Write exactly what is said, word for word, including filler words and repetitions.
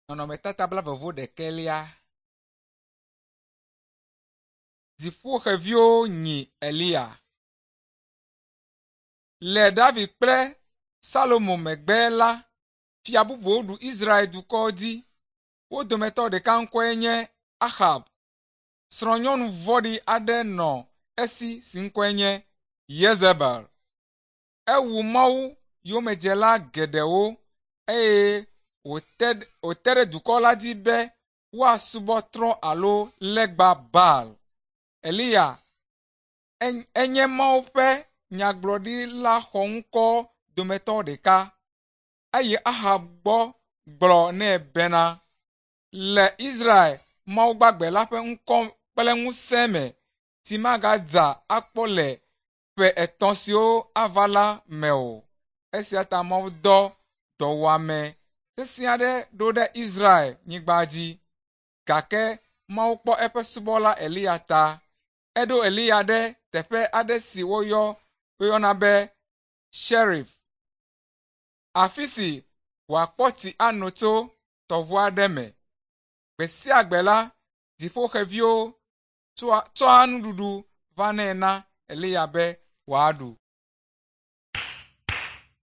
Nɔnɔmetata blaeve-vɔ-ɖekɛlia. Dziƒoxeviwo nyi Eliya. Le David kple Salomo megbe la, fia bubuwo ɖu Israel dukɔ dzi. Wo dometɔ ɖeka ŋkɔe nye Ahab. Srɔ̃nyɔnu vɔ̃ɖi aɖe nɔ esi si ŋkɔe nye Yezebel. Ewu Mawu yomedzela geɖewo eye wòte wòte ɖe dukɔ la dzi be woasubɔ trɔ̃ alo legba Baal. Eliya enye Mawu ƒe nyagblɔɖila xɔŋkɔ dometɔ ɖeka eye Ahab gbɔ gblɔ nɛ bena, le Israel Mawu gbagbe la ƒe ŋkɔ kple ŋusẽ me, tsi magadza akpɔ le ƒe etɔ̃ siwo ava la me o. Esia ta Mawu dɔ dɔwuame sesẽ aɖe ɖo ɖe Israel nyigba dzi. Gake Mawu kpɔ eƒe subɔla Eliya ta. Eɖo Eliya ɖe teƒe aɖe si woyɔ woyɔna be Sherif, afi si wòakpɔ tsi ano tso tɔʋu aɖe me. Gbe sia gbe la, dziƒoxeviwo tsɔa nuɖuɖu vanɛ na Eliya be wòaɖu.